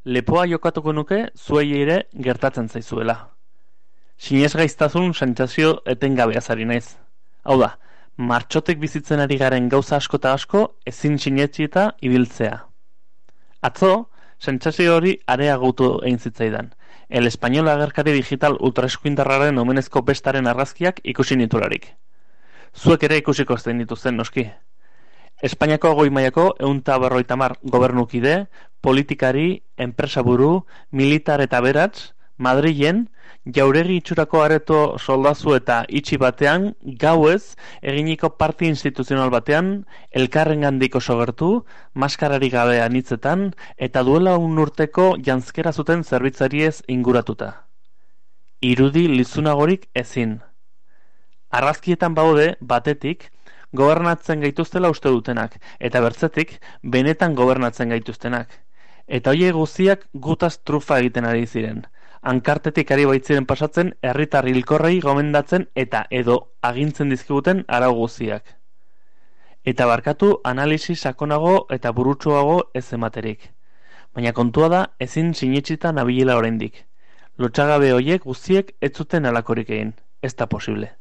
lepoa jokatuko nuke zuei ere gertatzen zaizuela. Sinesgaiztasun sentsazio etengabeaz ari naiz. Hau da, martxotek bizitzen ari garen gauza asko eta asko ezin sinetxieta ibiltzea. Atzo, sentsazio hori areagotu egin zitzaidan. El Español agerkari digital ultraeskuindarraren omenezko bestaren argazkiak ikusi nitularik. Zuek ere ikusiko zein dituzten noski. Espainiako goi mailako 150 gobernukide, politikari, enpresaburu, militar eta aberats, Madrilen, jauregi itxurako areto soldazu eta itxi batean, gauez, eginiko parti instituzional batean, elkarrengandik oso gertu, maskararik gabe anitzetan, eta duela urteko janzkera zuten zerbitzariez inguratuta. Irudi lizunagorik ezin. Argazkietan baude, batetik, gobernatzen gaituztela uste dutenak, eta bertzetik, benetan gobernatzen gaituztenak. Eta horiek guztiak gutaz trufa egiten ari ziren. Hankartetik ari baitziren pasatzen, herritar hilkorrei gomendatzen eta edo agintzen dizkiguten arau guztiak. Eta barkatu analisi sakonago eta burutsuago ez ematerik. Baina kontua da ezin sinetsita nabilela oraindik. Lotsagabe horiek guztiek ez zuten halakorik egin. Ez da posible.